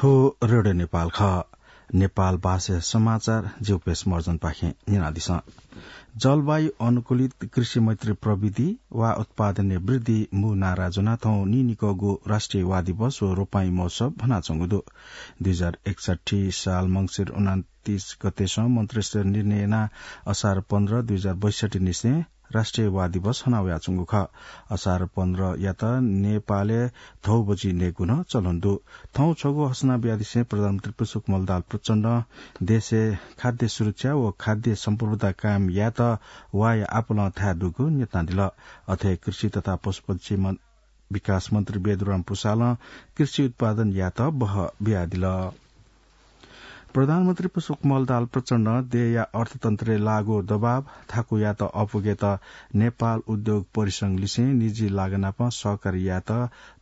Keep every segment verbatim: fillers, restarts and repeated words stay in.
थ्व रेडियो नेपाल खः। नेपाल भाषा समाचार ज्यू पेश मर्जन पाखें न्यनादिसँ। जलवायु अनुकूलित कृषि मैत्री प्रविधि वा उत्पादनय् वृद्धि मू नारा ज्वनाः थौं नीनिकःगु राष्ट्रिय वा दिवस व रोपाइँ महोत्सव हनाच्वंगु दु। दुई हजार एकसट्ठी साल मंसिर उनान्तिस गतेसं मन्त्रीस्तरीय निर्णय यानाः असार पन्ध्र दुई हजार बैसट्ठी निसें राष्ट्रिय वा दिवस हनावयाच्वंगु खः। असार पन्ध्रयात नेपालय् धौ बजि नयेगु नं चलन दु। थौं छगू हसना बियादिसें प्रधानमन्त्री पुष्पकमल दाहाल प्रचण्डं देशय् खाद्य सुरक्षा व खाद्य सम्प्रभुता कायम यायेत वाया आपालं थाय् दुगु न्यनादिल। अथे कृषि तथा पशुपक्षी मन-, विकास मन्त्री बेदुराम पुसालं कृषि उत्पादन यायेत बह बियादिल। प्रधानमन्त्री पुष्पकमल दाहाल प्रचण्डं देय्‌या अर्थतन्त्रय् लाःगु दबाव थाकुयात अपुगेत नेपाल उद्योग परिसंघ लिसें निजी लागा नाप सहकारी यायेत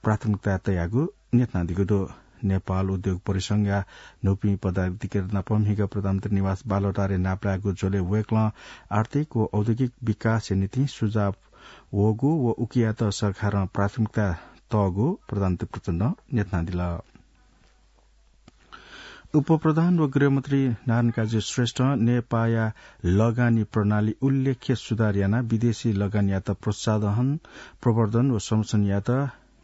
प्राथमिकता तयागु न्यनादीगु दु। नेपाल उद्योग परिसंघया न्हूपिं पदाधिकारी नाप म्हिगः प्रधानमन्त्री निवास बालुवाटारय् नापलायेगु झ्वलय् वय्‌कलं आर्थिक व औद्योगिक विकासया निंतिं सुझाव वःगु व उकियात सरकारं प्राथमिकता तःगु प्रधानमन्त्री प्रचण्डं न्यनादिल। उपप्रधान व गृहमन्त्री नारायणकाजी श्रेष्ठं नेपाःया लगानी प्रणाली उल्लेख्य सुधार यानाः विदेशी लगानीयात प्रोत्साहन, प्रवर्धन व संरक्षण यायेत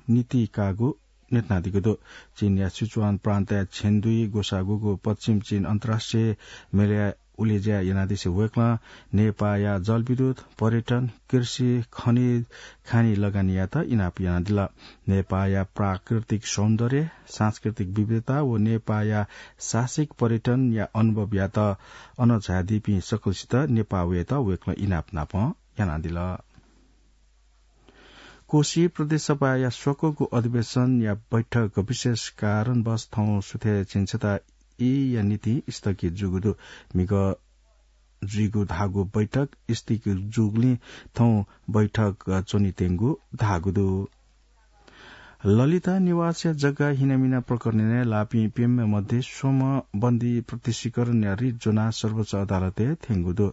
नीति काःगु न्यनादीगु दु। चीनया सिचुवान प्रान्तया छेन्डुइ ग्वसाःगुगु पश्चिम चीन अन्तर्राष्ट्रिय मेलाय् उलेज्या यानादिसे वय्‌कलं नेपाःया जलविद्युत, पर्यटन, कृषि, खनिज, खानी लगानीयात इनाप यानादिल। नेपाःया प्राकृतिक सौन्दर्य, सांस्कृतिक विविधता व नेपाःया साहसिक पर्यटनया अनुभवयात अन झायादीपिं सकलसित नेपाः वयेत वय्‌कलं इनाप नाप यानादिल। कोशी प्रदेश सभाया स्वकःगु अधिवेशनया बैठक विशेष कारणवश थौं सुथय् झिंछता ईया निंतिं स्थगित जूगु दु। म्हिगः जुइगु धाःगु बैठक स्थगित जूगुलिं थौं बैठक च्वनीत्यंगु धाःगु दु। ललिता निवासया जग्गा हिनामिना प्रकरणय् लाःपिं प्यम्ह मध्ये स्वम्ह बन्दी प्रत्यक्षीकरणया रिट ज्वनाः सर्वोच्च अदालतय् थ्यंगु दु।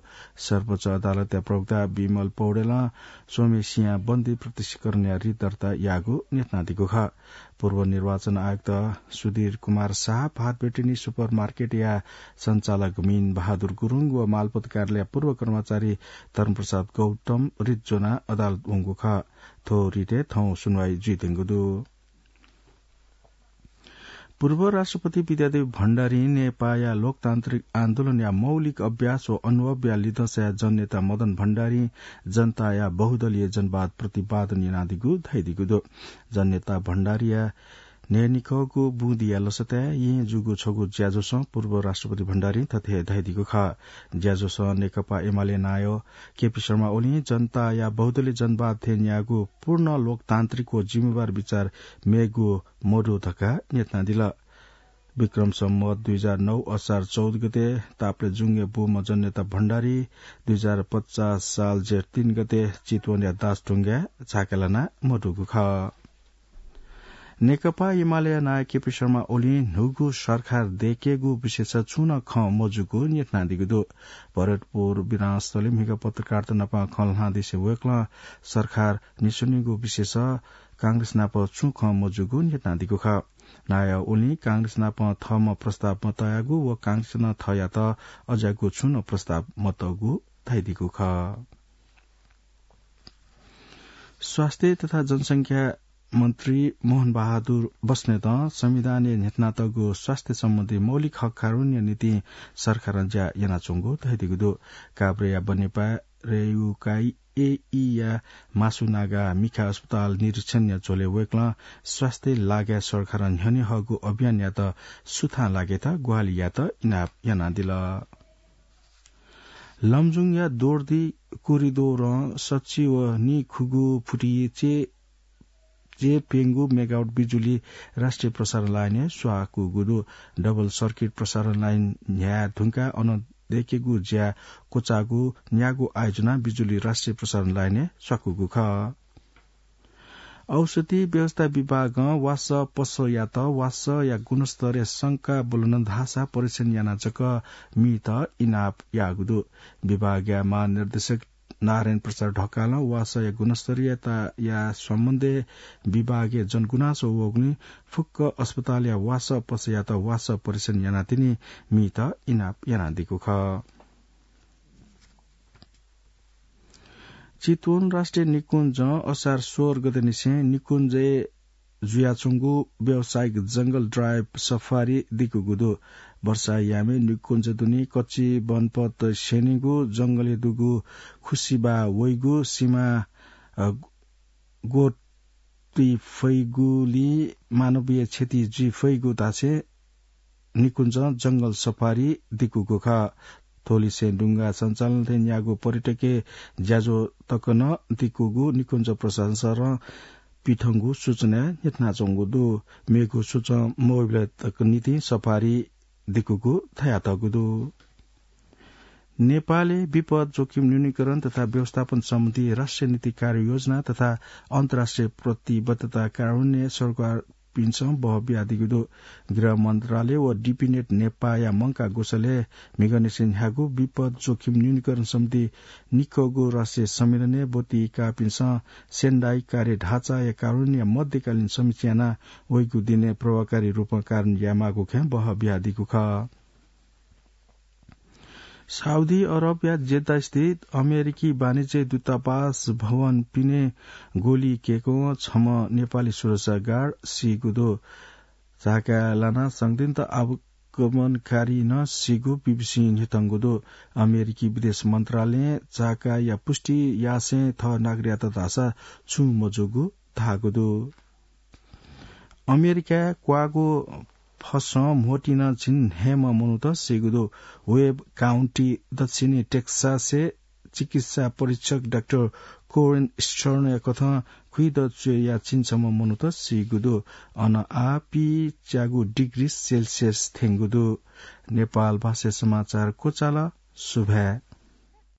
सर्वोच्च अदालतया प्रवक्ता विमल पौडेलं स्वम्हेसिया बन्दी प्रत्यक्षीकरणया रिट दर्ता याःगु न्यनादीगु खः। पूर्व निर्वाचन आयुक्त सुधीर कुमार शाह, भारत ब्याटेनी सुपर मार्केटया सञ्चालक मीन बहादुर गुरुङ व मालपोत कार्यालयया पूर्व कर्मचारी धर्मप्रसाद गौतम रिट ज्वनाः अदालत वंगु खः। थ्व रिटय् थौं सुनवाई जुइत्यंगु दु। पूर्व राष्ट्रपति विद्यादेवी भण्डारीं नेपाःया लोकतान्त्रिक आन्दोलनया मौलिक अभ्यास व अनुभवया लिधंसाय् जननेता मदन भण्डारीं जनताया बहुदलीय जनवाद प्रतिपादन यानादीगु धयादीगु दु। जननेता भण्डारीया न्हय्‌निकःगु बुँदिया लसताय् येँ जूगु छगू ज्याझ्वलं पूर्व राष्ट्रपति भण्डारीं थथे धयादीगु खः। ज्याझ्वलं नेकपा एमाले नायः केपी शर्मा ओलीं जनताया बहुदलीय जनवाद थें न्याःगु पूर्ण लोकतान्त्रिक व जिम्मेवार विचार मेगु मदु धकाः न्यनादिल। विक्रम सम्वत दुई हजार नौ असार चौध गते ताप्लेजुङय् बूम्ह जननेता भण्डारी दुई हजार पचास साल जेठ तीन गते चितवनया दासढुङ्गाय् झाका लाना मदुगु खः। नेकपा एमालेया नायः केपी शर्मा ओलीं न्हूगु सरकार दयेकेगु विषयय् छुं नं खँ मजूगु न्यनादीगु दु। भरतपुर विमानस्थलय् म्हिगः पत्रकारत नाप खँ ल्हानादिसे वय्‌कलं सरकार निस्वनीगु विषयय् कांग्रेस नाप छुं खँ मजूगु न्यनादीगु खः। नायः ओलीं कांग्रेस नाप थःम्हं प्रस्ताव मतयागु व कांग्रेसं नं थःयात अज्याःगु छुं नं प्रस्ताव मतःगु धयादीगु खः। स्वास्थ्य तथा जनसंख्या मन्त्री मोहन बहादुर बस्नेतं संविधानय् न्ह्यथनातःगु स्वास्थ्य सम्बन्धी मौलिक हकया निंतिं सरकारं ज्या यानाच्वंगु धयादीगु दु। काभ्रेया बनेपा रेयुकाई एईया मासुनागा मिखा अस्पताल निरीक्षणया झ्वलय् वय्‌कलं स्वास्थ्य लागाय् सरकारं न्ह्यःने हःगु अभियानयात सुथां लाकेत ग्वाहालि यायेत इनाप यानादिल। लमजुङया दोर्दी कोरिडोरं सच्छि व नीखुगू फुटि चे चे प्यंगू मेगावाट बिजुली राष्ट्रिय प्रसारण लाइनय् स्वाकूगु दु। डबल सर्किट प्रसारण लाइन न्ह्याये धुंकाः अन दयेकेगु ज्या क्वचाःगु न्यागू आयोजनां बिजुली राष्ट्रिय प्रसारण लाइनय् स्वाकूगु खः। औषधि व्यवस्था विभागं वासः पसःयात वासःया गुणस्तरय् शंका ब्वलन धाःसा परीक्षण यानाः जक मीत इनाप याःगु दु। विभागया महानिर्देशक नारायण प्रसाद ढकालं वासःया गुणस्तरीयताया सम्बन्धय् विभागय् जनगुनासो वःगुलिं फुक्क अस्पतालया वासः पसःयात वासः परीक्षण यानातिनि मीत इनाप यानादीगु खः। चितवन राष्ट्रिय निकुञ्जं असार सोह्र गतेनिसें निकुञ्जय् जुयाच्वंगु व्यावसायिक जंगल ड्राइभ सफारी दिकूगु दु। वर्षा यामय् निकुञ्ज दुने कच्ची वनपथ स्यनेगु जंगलय् दुगु खुसिबा वइगु सिमा, अ, ग्वतुइ फइगुलिं मानवीय क्षति जुइ फइगु धासें निकुञ्जं जंगल सफारी दिकूगु खः। थ्वलिसें डुंगा सञ्चालन थें न्यागू पर्यटकीय ज्याझ्वः तक नं दिकूगु निकुञ्ज प्रशासन सरं पिथंगु सूचनाय् न्ह्यथनाच्वंगु दु। मेगु सूचं मवय्‌बलय् तक निंतिं सफारी दिकूगु धयातःगु दु। नेपालय् विपद जोखिम न्यूनीकरण तथा व्यवस्थापन सम्बन्धी राष्ट्रिय नीति कार्ययोजना तथा अन्तर्राष्ट्रिय प्रतिबद्धता कार्यान्वयनय् सरकारपिन्सं बह बियादीगु दु। गृह मन्त्रालय व डिपिनेट नेपाःया मंकाः ग्वसालय् म्हिगःनिसें न्ह्यागु विपद जोखिम न्यूनीकरण सम्बन्धी निक्वःगु राष्ट्रिय सम्मेलनय् ब्वति काःपिन्सं सेन्डाइ कार्य ढाँचाया कार्यान्वयनया मध्यकालीन समीक्षा यानाः वइगु दिनय् प्रभावकारी रूपं कार्यान्वयन यायेमाःगु खँय् बह बियादीगु खः। साउदी अरबया जेद्दास्थित अमेरिकी वाणिज्य दूतावास भवन पिने गोली केकं छम्ह नेपाली सुरक्षा गार्ड सीगु दु। झाकाय् लानाः संदिग्ध आक्रमणकारी नं सीगु बीबीसीं न्ह्यथंगु दु। अमेरिकी विदेश मन्त्रालयं झाकाया पुष्टि यासें थः नागरिकयात धाःसा छुं मजूगु धाःगु दु। अमेरिकाय् क्वाःगु फसं म्होतिं नं झिंन्हय्‌म्ह मनूत सीगु दु। वेब काउन्टी दक्षिणी टेक्सासय् चिकित्सा परीक्षक डाक्टर कोरेन स्टर्नया कथं खुइदँ च्वय्‌या झिंछम्ह मनूत सीगु दु। अन आः पीच्यागू डिग्री सेल्सियस थ्यंगु दु। नेपाल भाषाय् समाचार क्वचाल। सुभाय्।